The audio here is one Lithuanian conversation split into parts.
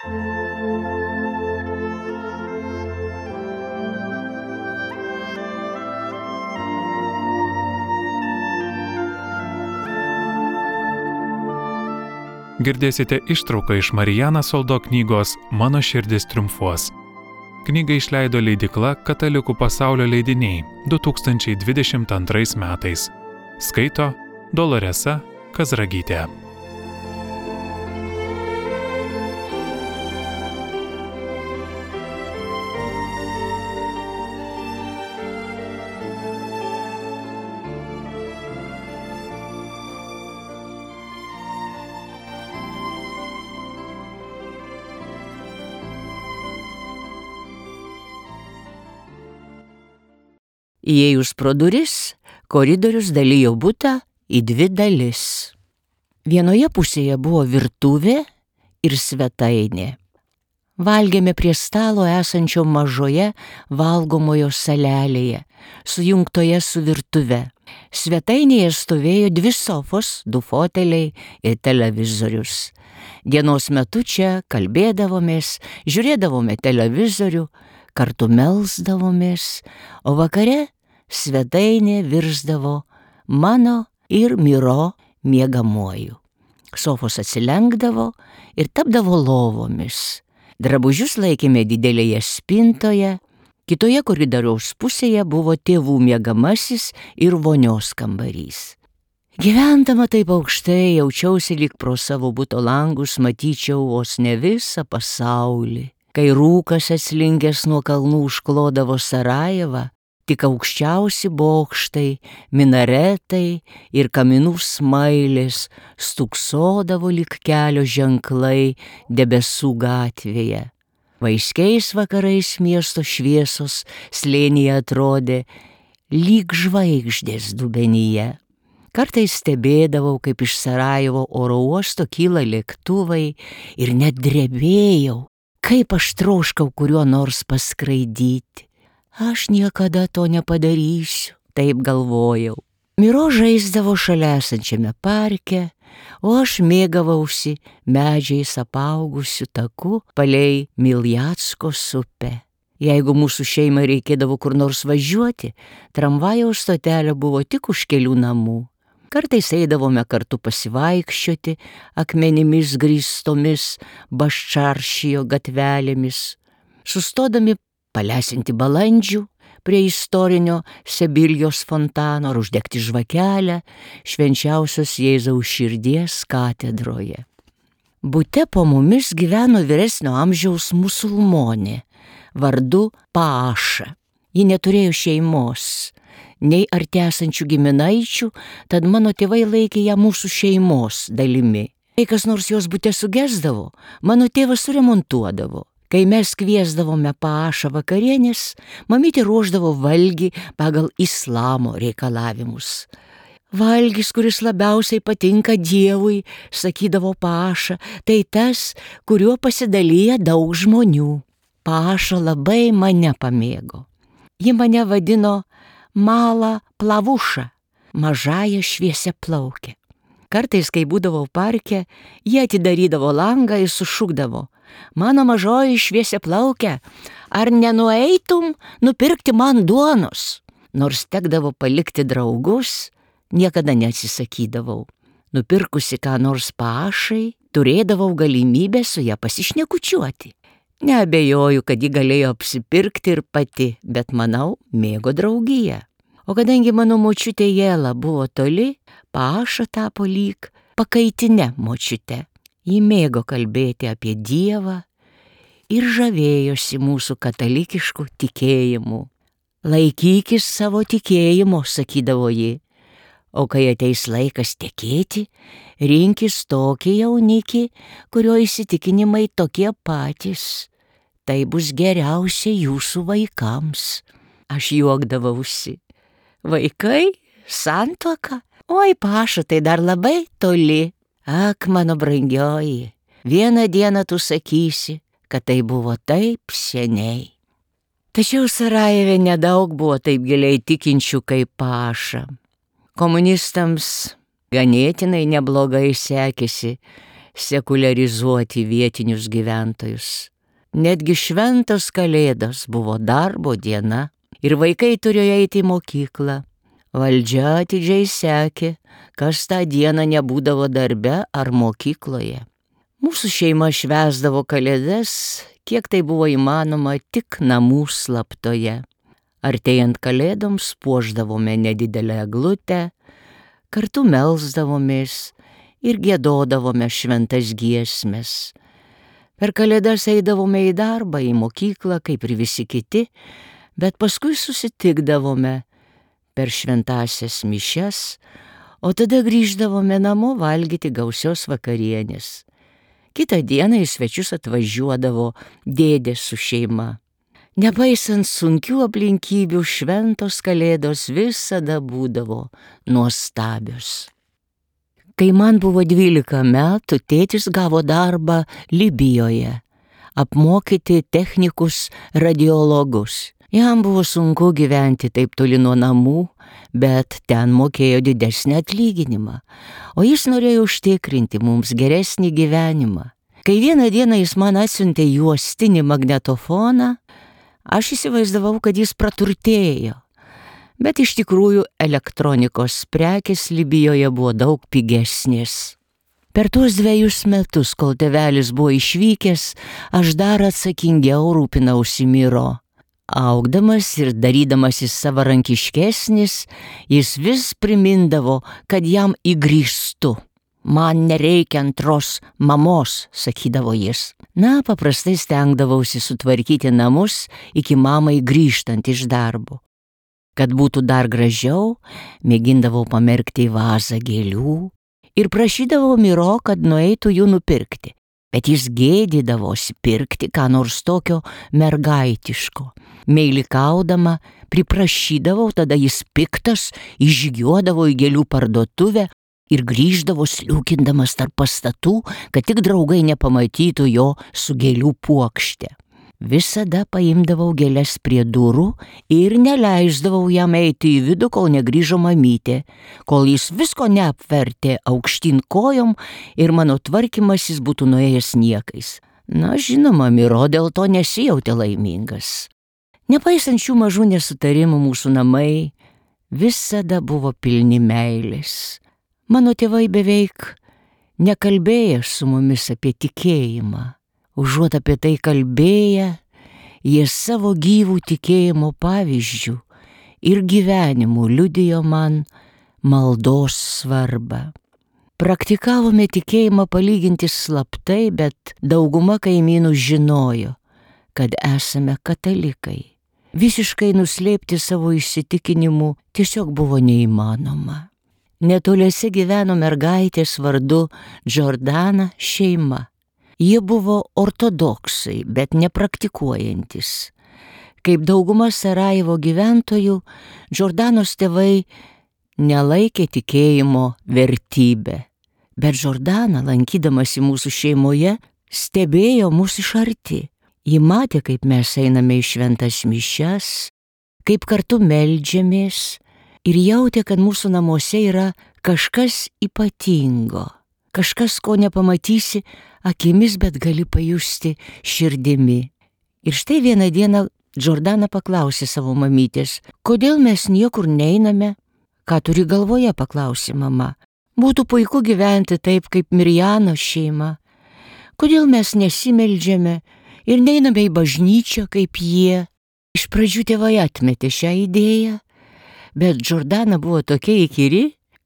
Girdėsite ištrauką iš Marijaną Soldo knygos Mano širdis triumfuos. Knygą išleido leidykla Katalikų pasaulio leidiniai 2022 metais. Skaito Doloresa Kazragytė. Įėjus pro duris, koridorius dalijo butą į dvi dalis. Vienoje pusėje buvo virtuvė ir svetainė. Valgėme prie stalo esančio mažoje valgomojo salelėje, sujungtoje su virtuve. Svetainėje stovėjo 2 sofos, 2 foteliai ir televizorius. Dienos metu čia kalbėdavomės, žiūrėdavome televizorių, kartu melsdavomės, o vakare svetainė virsdavo mano ir Miro miegamuoju. Sofos atsilenkdavo ir tapdavo lovomis. Drabužius laikėme didelėje spintoje, kitoje koridoriaus pusėje buvo tėvų miegamasis ir vonios kambarys. Gyvendama taip aukštai jaučiausi lyg pro savo buto langus matyčiau vos ne visą pasaulį. Kai rūkas atslinkęs nuo kalnų užklodavo Sarajevą, tik aukščiausi bokštai, minaretai ir kaminų smailės stuksodavo lyg kelio ženklai debesų gatvėje. Vaiskiais vakarais miesto šviesos slėnyje atrodė lyg žvaigždės dubenyje. Kartais stebėdavau, kaip iš Sarajevo oro uosto kyla lėktuvai ir net drebėjau. Kaip aš troškau kuriuo nors paskraidyti. Aš niekada to nepadarysiu, taip galvojau. Miro žaisdavo šalia esančiame parke, o aš mėgavausi medžiais apaugusiu taku palei Miljatskos upę. Jeigu mūsų šeimai reikėdavo kur nors važiuoti, tramvajaus stotelė buvo tik už kelių namų. Kartais eidavome kartu pasivaikščioti akmenimis grįstomis Baščaršijo gatvelėmis, sustodami palesinti balandžių prie istorinio Sebiljos fontano ar uždegti žvakelę švenčiausios Jėzaus širdies katedroje. Bute po mumis gyveno vyresnio amžiaus musulmonė vardu Paaša. Ji neturėjo šeimos, nei arti esančių giminaičių, tad mano tėvai laikė ją mūsų šeimos dalimi. Kai kas nors jos bute sugesdavo, mano tėvas suremontuodavo. Kai mes kviesdavome Paašą vakarienės, mamytė ruošdavo valgį pagal islamo reikalavimus. Valgis, kuris labiausiai patinka Dievui, sakydavo Paaša, tai tas, kuriuo pasidalyja daug žmonių. Paaša labai mane pamėgo. Ji mane vadino Mala Plavuša, mažąją šviesia plaukę. Kartais, kai būdavau parke, jie atidarydavo langą ir sušukdavo: mano mažoji šviesia plaukę, ar nenueitum nupirkti man duonos? Nors tekdavo palikti draugus, niekada neatsisakydavau. Nupirkusi ką nors Paašai, turėdavau galimybę su ją pasišnekučiuoti. Neabejoju, kad ji galėjo apsipirkti ir pati, bet manau, mėgo draugiją. O kadangi mano močiutė Jela buvo toli, Paaša tapo lyg pakaitinė močiutė. Ji mėgo kalbėti apie Dievą ir žavėjosi mūsų katalikišku tikėjimu. Laikykis savo tikėjimo, sakydavo ji, o kai ateis laikas tekėti, rinkis tokį jaunikį, kurio įsitikinimai tokie patys. Tai bus geriausia jūsų vaikams. Aš juokdavausi. Vaikai? Santuoka? Oi, Paaša, tai dar labai toli. Ak, mano brangioji, vieną dieną tu sakysi, kad tai buvo taip seniai. Tačiau Sarajeve nedaug buvo taip giliai tikinčių kaip Paaša. Komunistams ganėtinai neblogai sekėsi sekuliarizuoti vietinius gyventojus. Netgi šventos kalėdos buvo darbo diena ir vaikai turėjo eiti į mokyklą. Valdžia atidžiai sekė, kas tą dieną nebūdavo darbe ar mokykloje. Mūsų šeima švęsdavo kalėdas, kiek tai buvo įmanoma, tik namų slaptoje. Artėjant kalėdoms puošdavome nedidelę eglutę, kartu melsdavomės ir giedodavome šventas giesmes. Per kalėdas eidavome į darbą, į mokyklą, kaip ir visi kiti, bet paskui susitikdavome per šventąsias mišias, o tada grįždavome namo valgyti gausios vakarienės. Kitą dieną į svečius atvažiuodavo dėdė su šeima. Nepaisant sunkių aplinkybių, šventos kalėdos visada būdavo nuostabios. Kai man buvo 12 metų, tėtis gavo darbą Libijoje, apmokyti technikus radiologus. Jam buvo sunku gyventi taip toli nuo namų, bet ten mokėjo didesnį atlyginimą, o jis norėjo užtikrinti mums geresnį gyvenimą. Kai vieną dieną jis man atsiuntė juostinį magnetofoną, aš įsivaizdavau, kad jis praturtėjo. Bet iš tikrųjų elektronikos prekės Libijoje buvo daug pigesnės. Per tuos 2 metus, kol tėvelis buvo išvykęs, aš dar atsakingiau rūpinausi Miro. Augdamas ir darydamasis savarankiškesnis, jis vis primindavo, kad jam įgrįžtu. Man nereikia antros mamos, sakydavo jis. Na, paprastai stengdavausi sutvarkyti namus iki mamai grįžtant iš darbo. Kad būtų dar gražiau, mėgindavau pamerkti į vazą gėlių ir prašydavau Miro, kad nueitų jų nupirkti. Bet jis gėdydavosi pirkti ką nors tokio mergaitiško. Meilikaudama priprašydavau, tada jis piktas išžygiuodavo į gėlių parduotuvę ir grįždavo sliūkindamas tarp pastatų, kad tik draugai nepamatytų jo su gėlių puokšte. Visada paimdavau gėles prie durų ir neleisdavau jam eiti į vidų, kol negrįžo mamytė, kol jis visko neapvertė aukštyn kojom ir mano tvarkymasis būtų nuėjęs niekais. Na, žinoma, Miro dėl to nesijautė laimingas. Nepaisant šių mažų nesutarimų, mūsų namai visada buvo pilni meilės. Mano tėvai beveik nekalbėjo su mumis apie tikėjimą. Užuot apie tai kalbėję, jie savo gyvų tikėjimo pavyzdžių ir gyvenimų liudijo man maldos svarbą. Praktikavome tikėjimą palyginti slaptai, bet dauguma kaimynų žinojo, kad esame katalikai. Visiškai nuslėpti savo įsitikinimų tiesiog buvo neįmanoma. Netoliese gyveno mergaitės vardu Džordana šeima. Jie buvo ortodoksai, bet nepraktikuojantis. Kaip dauguma Sarajevo gyventojų, Džordanos tėvai nelaikė tikėjimo vertybę. Bet Džordana, lankydamasi mūsų šeimoje, stebėjo mus iš arti. Ji matė, kaip mes einame į šventas mišias, kaip kartu meldžiamės ir jautė, kad mūsų namuose yra kažkas ypatingo. Kažkas, ko nepamatysi akimis, bet gali pajusti širdimi. Ir štai vieną dieną Džordana paklausė savo mamytės, kodėl mes niekur neiname? Ką turi galvoje, paklausė mama. Būtų puiku gyventi taip, kaip Mirjano šeima. Kodėl mes nesimeldžiame ir neiname į bažnyčią, kaip jie? Iš pradžių tėvai atmetė šią idėją, bet Džordana buvo tokia įkyri,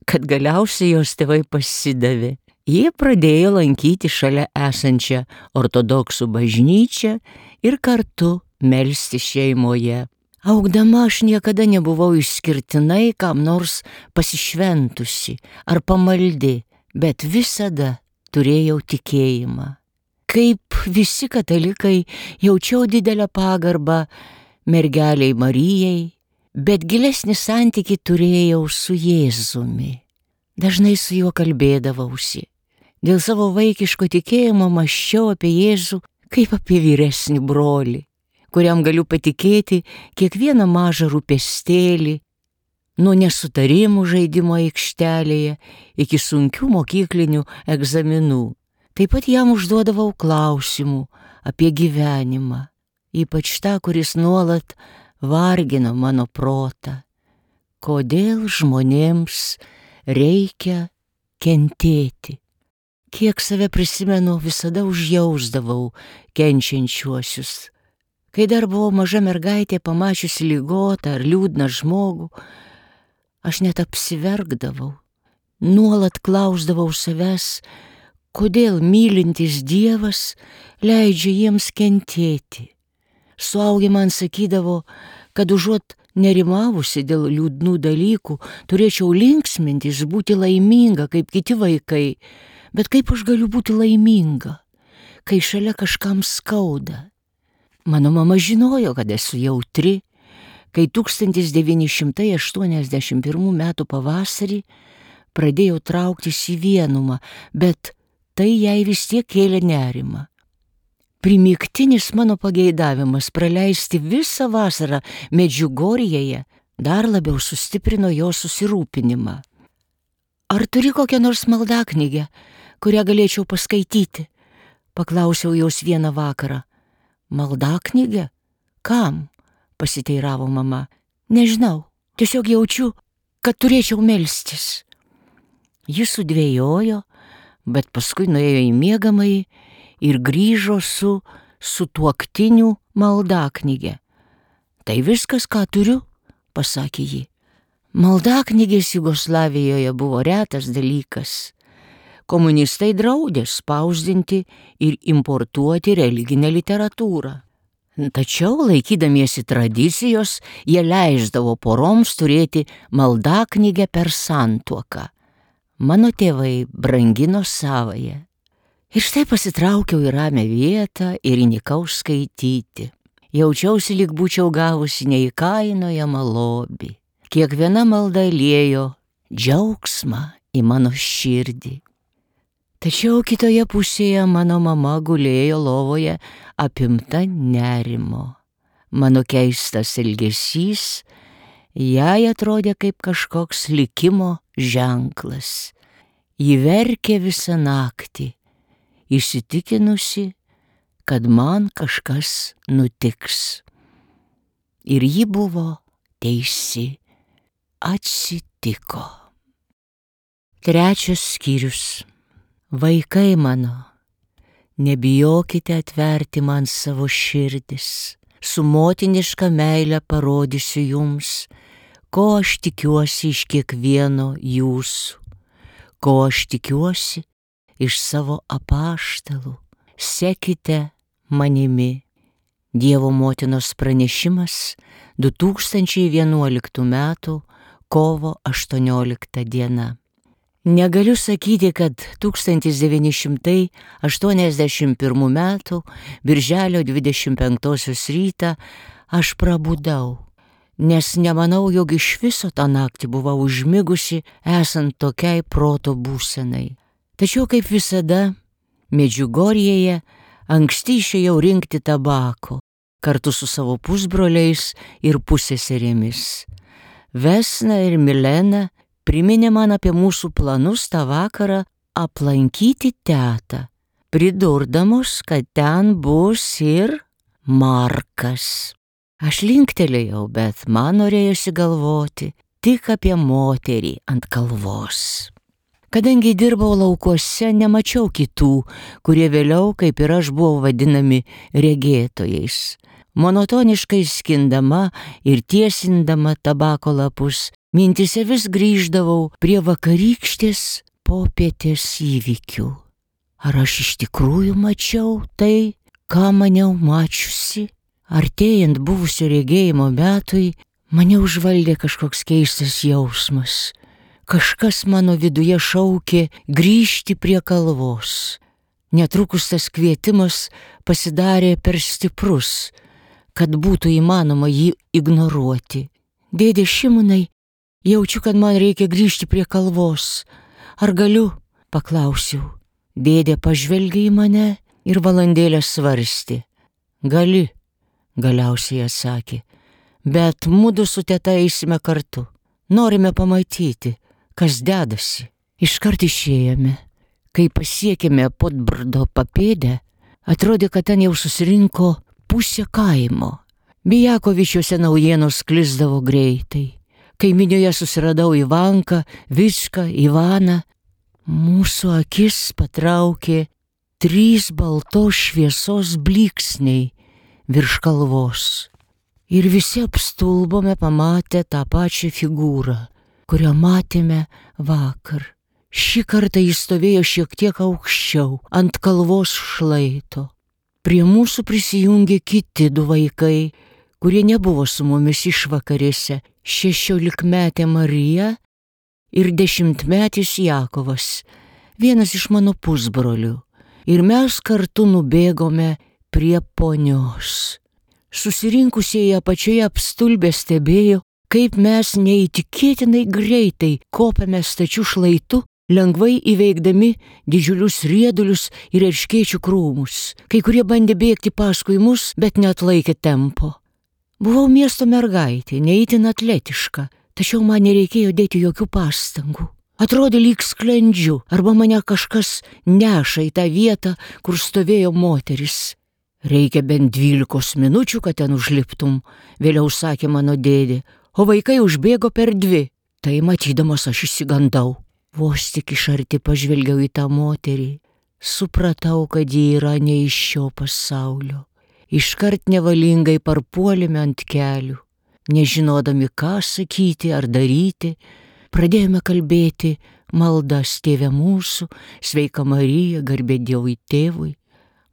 kad galiausiai jos tėvai pasidavė. Jie pradėjo lankyti šalia esančią ortodoksų bažnyčią ir kartu melsti šeimoje. Augdama aš niekada nebuvau išskirtinai kam nors pasišventusi ar pamaldi, bet visada turėjau tikėjimą. Kaip visi katalikai jaučiau didelę pagarbą mergeliai Marijai, bet gilesnį santykį turėjau su Jėzumi. Dažnai su juo kalbėdavausi. Dėl savo vaikiško tikėjimo mąsčiau apie Jėzų kaip apie vyresnį brolį, kuriam galiu patikėti kiekvieną mažą rūpestėlį, nuo nesutarimų žaidimo aikštelėje iki sunkių mokyklinių egzaminų. Taip pat jam užduodavau klausimų apie gyvenimą, ypač tą, kuris nuolat vargino mano protą. Kodėl žmonėms reikia kentėti? Kiek save prisimenu, visada užjausdavau kenčiančiuosius. Kai dar buvau maža mergaitė, pamačiusi ligotą ar liūdną žmogų, aš net apsiverkdavau. Nuolat klausdavau savęs, kodėl mylintis Dievas leidžia jiems kentėti. Suaugę man sakydavo, kad užuot nerimavusi dėl liūdnų dalykų, turėčiau linksmintis, būti laiminga kaip kiti vaikai. Bet kaip aš galiu būti laiminga, kai šalia kažkam skauda? Mano mama žinojo, kad esu jautri, kai 1981 metų pavasarį pradėjau trauktis į vienumą, bet tai jai vis tiek kėlė nerimą. Primygtinis mano pageidavimas praleisti visą vasarą Medžiugorjėje dar labiau sustiprino jo susirūpinimą. Ar turi kokią nors maldaknygę, kurią galėčiau paskaityti? Paklausiau jos vieną vakarą. Maldaknygę? Kam? Pasiteiravo mama. Nežinau, tiesiog jaučiu, kad turėčiau melstis. Jis sudvejojo, bet paskui nuėjo į miegamąjį ir grįžo su sutuoktinių maldaknygė. Tai viskas, ką turiu, pasakė ji. Maldaknygės Jugoslavijoje buvo retas dalykas. Komunistai draudė spausdinti ir importuoti religinę literatūrą. Tačiau, laikydamiesi tradicijos, jie leisdavo poroms turėti maldaknygę per santuoką. Mano tėvai brangino savąją. Ir štai pasitraukiau į ramią vietą ir įnikau skaityti. Jaučiausi, lyg būčiau gavusi neįkainojamą lobį. Kiekviena malda liejo džiaugsmą į mano širdį. Tačiau kitoje pusėje mano mama gulėjo lovoje apimta nerimo. Mano keistas elgesys jai atrodė kaip kažkoks likimo ženklas. Ji verkė visą naktį, įsitikinusi, kad man kažkas nutiks. Ir ji buvo teisi. Atsitiko. 3 skyrius. Vaikai mano, nebijokite atverti man savo širdis. Su motiniška meile parodysiu jums, ko aš tikiuosi iš kiekvieno jūsų, ko aš tikiuosi iš savo apaštalų. Sekite manimi. Dievo motinos pranešimas 2011 metų kovo 18 diena. Negaliu sakyti, kad 1981 metų birželio 25 rytą aš prabudau, nes nemanau, jog iš viso tą naktį buvau užmigusi esant tokiai proto būsenai. Tačiau kaip visada, Medžiugorjėje anksti išėjau rinkti tabako kartu su savo pusbroliais ir pusseserėmis. Vesna ir Milena priminė man apie mūsų planus tą vakarą aplankyti tetą, pridurdamos, kad ten bus ir Markas. Aš linktelėjau, bet man norėjosi galvoti tik apie moterį ant kalvos. Kadangi dirbau laukuose, nemačiau kitų, kurie vėliau, kaip ir aš, buvo vadinami regėtojais. Monotoniškai skindama ir tiesindama tabako lapus, mintise vis grįždavau prie vakarykštės popietės įvykių. Ar aš iš tikrųjų mačiau tai, ką maniau mačiusi? Artėjant buvusio regėjimo metui, mane užvaldė kažkoks keistas jausmas. Kažkas mano viduje šaukė grįžti prie kalvos. Netrukus tas kvietimas pasidarė per stiprus, kad būtų įmanoma jį ignoruoti. Dėdė Šimonai, jaučiu, kad man reikia grįžti prie kalvos. Ar galiu? Paklausiau. Dėdė pažvelgė į mane ir valandėlę svarstė. Gali, galiausiai atsakė. Bet mudu su teta eisime kartu. Norime pamatyti, kas dedasi. Iškart išėjome. Kai pasiekėme Podbrdo papėdę, atrodė, kad ten jau susirinko pusė kaimo. Bijakovičiuose naujienos sklisdavo greitai. Kaiminioje susiradau Ivanką, Vičką, Ivaną. Mūsų akis patraukė 3 baltos šviesos blyksniai virš kalvos. Ir visi apstulbome pamatę tą pačią figūrą, kurią matėme vakar. Šį kartą jis stovėjo šiek tiek aukščiau, ant kalvos šlaito. Prie mūsų prisijungė kiti 2 vaikai, kurie nebuvo su mumis išvakarėse, 16-metė Marija ir 10-metis Jakovas, vienas iš mano pusbrolių. Ir mes kartu nubėgome prie ponios. Susirinkusieji apačioje apstulbę stebėjo, kaip mes neįtikėtinai greitai kopėme stačiu šlaitu, lengvai įveikdami didžiulius riedulius ir erškėčių krūmus. Kai kurie bandė bėgti paskui mus, bet neatlaikė tempo. Buvau miesto mergaitė, neįtin atletiška, tačiau man nereikėjo dėti jokių pastangų. Atrodė lyg sklendžiu, arba mane kažkas neša į tą vietą, kur stovėjo moteris. Reikia bent 12 minučių, kad ten užliptum, vėliau sakė mano dėdė, o vaikai užbėgo per 2. Tai matydamas aš išsigandau. Vos tik iš arti pažvelgiau į tą moterį, supratau, kad ji yra ne iš šio pasaulio. Iškart nevalingai parpuolėme ant kelių, nežinodami, ką sakyti ar daryti, pradėjome kalbėti maldas Tėve mūsų, Sveika Marija, garbė Dievui Tėvui.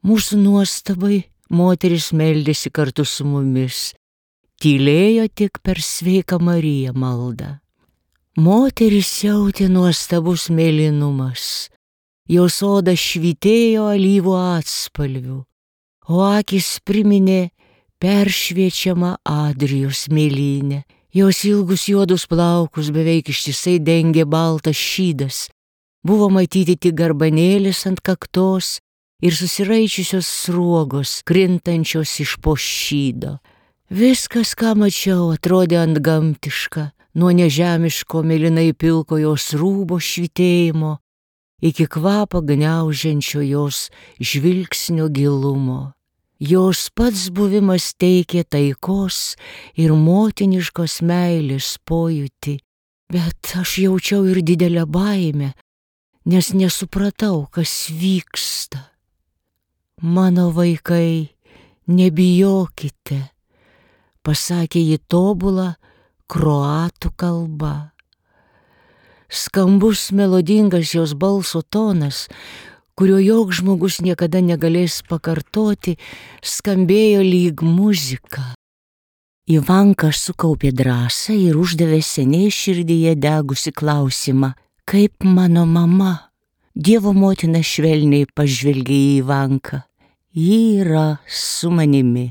Mūsų nuostabai moteris meldėsi kartu su mumis, tylėjo tik per Sveiką Mariją maldą. Moteris jautė nuostabus mėlynumas, jos oda švytėjo alyvų atspalvių, o akis priminė peršviečiamą Adrijos mėlynę. Jos ilgus juodus plaukus beveik ištisai dengė baltas šydas, buvo matyti tik garbanėlis ant kaktos ir susiraičiusios sruogos, krintančios iš po šydo. Viskas, ką mačiau, atrodė antgamtiška, nuo nežemiško mėlynai pilko jos rūbo švytėjimo iki kvapą gniaužiančio jos žvilgsnio gilumo. Jos pats buvimas teikė taikos ir motiniškos meilės pojūtį, bet aš jaučiau ir didelę baimę, nes nesupratau, kas vyksta. Mano vaikai, nebijokite, pasakė ji tobulą kroatų kalba. Skambus melodingas jos balso tonas, kurio joks žmogus niekada negalės pakartoti, skambėjo lyg muzika. Ivanka sukaupė drąsą ir uždavė seniai širdyje degusi klausimą, kaip mano mama? Dievo motina švelniai pažvelgė į Ivanką. Ji yra su manimi.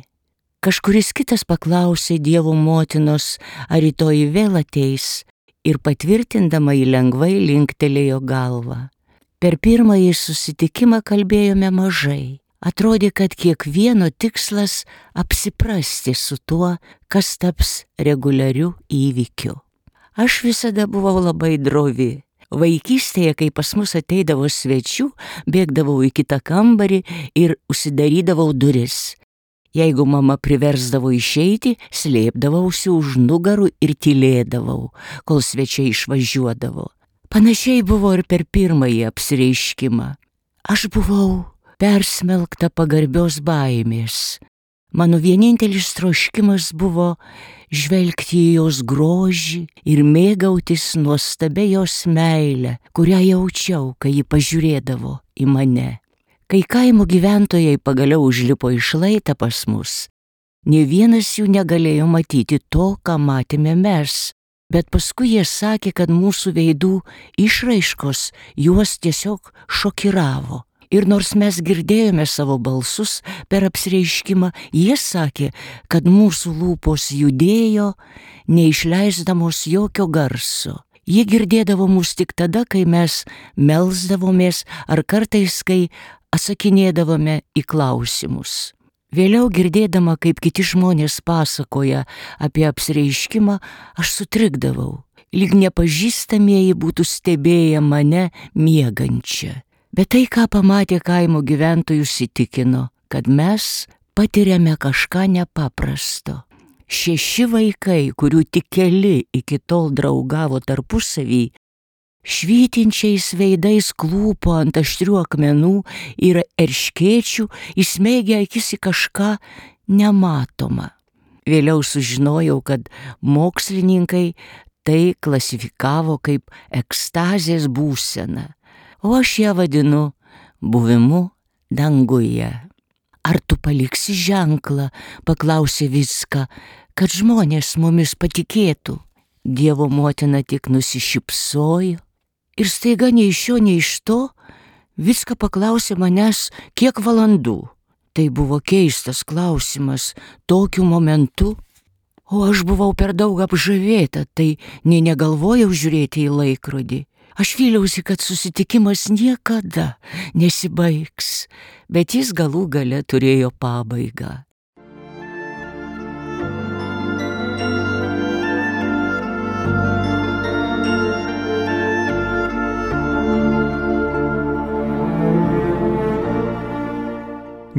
Kažkuris kitas paklausė Dievo motinos, ar rytoj vėl ateis, ir patvirtindama jį lengvai linktelėjo galvą. Per pirmąjį susitikimą kalbėjome mažai. Atrodė, kad kiekvieno tikslas apsiprasti su tuo, kas taps reguliariu įvykiu. Aš visada buvau labai drovi. Vaikystėje, kai pas mus ateidavo svečių, bėgdavau į kitą kambarį ir užsidarydavau duris. Jeigu mama priversdavo išeiti, slėpdavausi už nugarų ir tylėdavau, kol svečiai išvažiuodavo. Panašiai buvo ir per pirmąjį apsireiškimą. Aš buvau persmelkta pagarbios baimės. Mano vienintelis troškimas buvo žvelgti į jos grožį ir mėgautis nuostabia jos meile, kurią jaučiau, kai ji pažiūrėdavo į mane. Kai kaimo gyventojai pagaliau užlipo į šlaitą pas mus, nė vienas jų negalėjo matyti to, ką matėme mes, bet paskui jie sakė, kad mūsų veidų išraiškos juos tiesiog šokiravo. Ir nors mes girdėjome savo balsus per apsireiškimą, jie sakė, kad mūsų lūpos judėjo, neišleisdamos jokio garso. Jie girdėdavo mus tik tada, kai mes melsdavomės ar kartais, kai atsakinėdavome į klausimus. Vėliau girdėdama, kaip kiti žmonės pasakoja apie apsireiškimą, aš sutrikdavau, lyg nepažįstamieji būtų stebėję mane miegančią. Bet tai, ką pamatė kaimo gyventojus, įtikino, kad mes patiriame kažką nepaprasto. 6 vaikai, kurių tik keli iki tol draugavo tarpusavį, švytinčiais veidais klūpo ant aštrių akmenų ir erškėčių, įsmeigę akis į kažką nematomą. Vėliau sužinojau, kad mokslininkai tai klasifikavo kaip ekstazės būseną, o aš ją vadinu buvimu danguje. Ar tu paliksi ženklą, paklausė Vicka, kad žmonės mumis patikėtų. Dievo motina tik nusišypsojo ir staiga nei iš šio, nei iš to Vicka paklausė manęs, kiek valandų. Tai buvo keistas klausimas tokiu momentu, o aš buvau per daug apžavėta, tai nei negalvojau žiūrėti į laikrodį. Aš vyliausi, kad susitikimas niekada nesibaigs, bet jis galų gale turėjo pabaigą.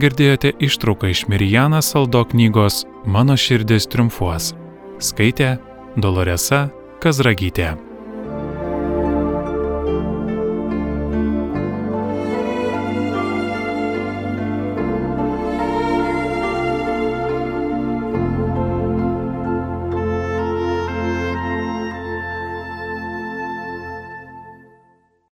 Girdėjote ištrauką iš Mariana Saldo knygos Mano širdis triumfuos. Skaitė Doloresa Kazragytė.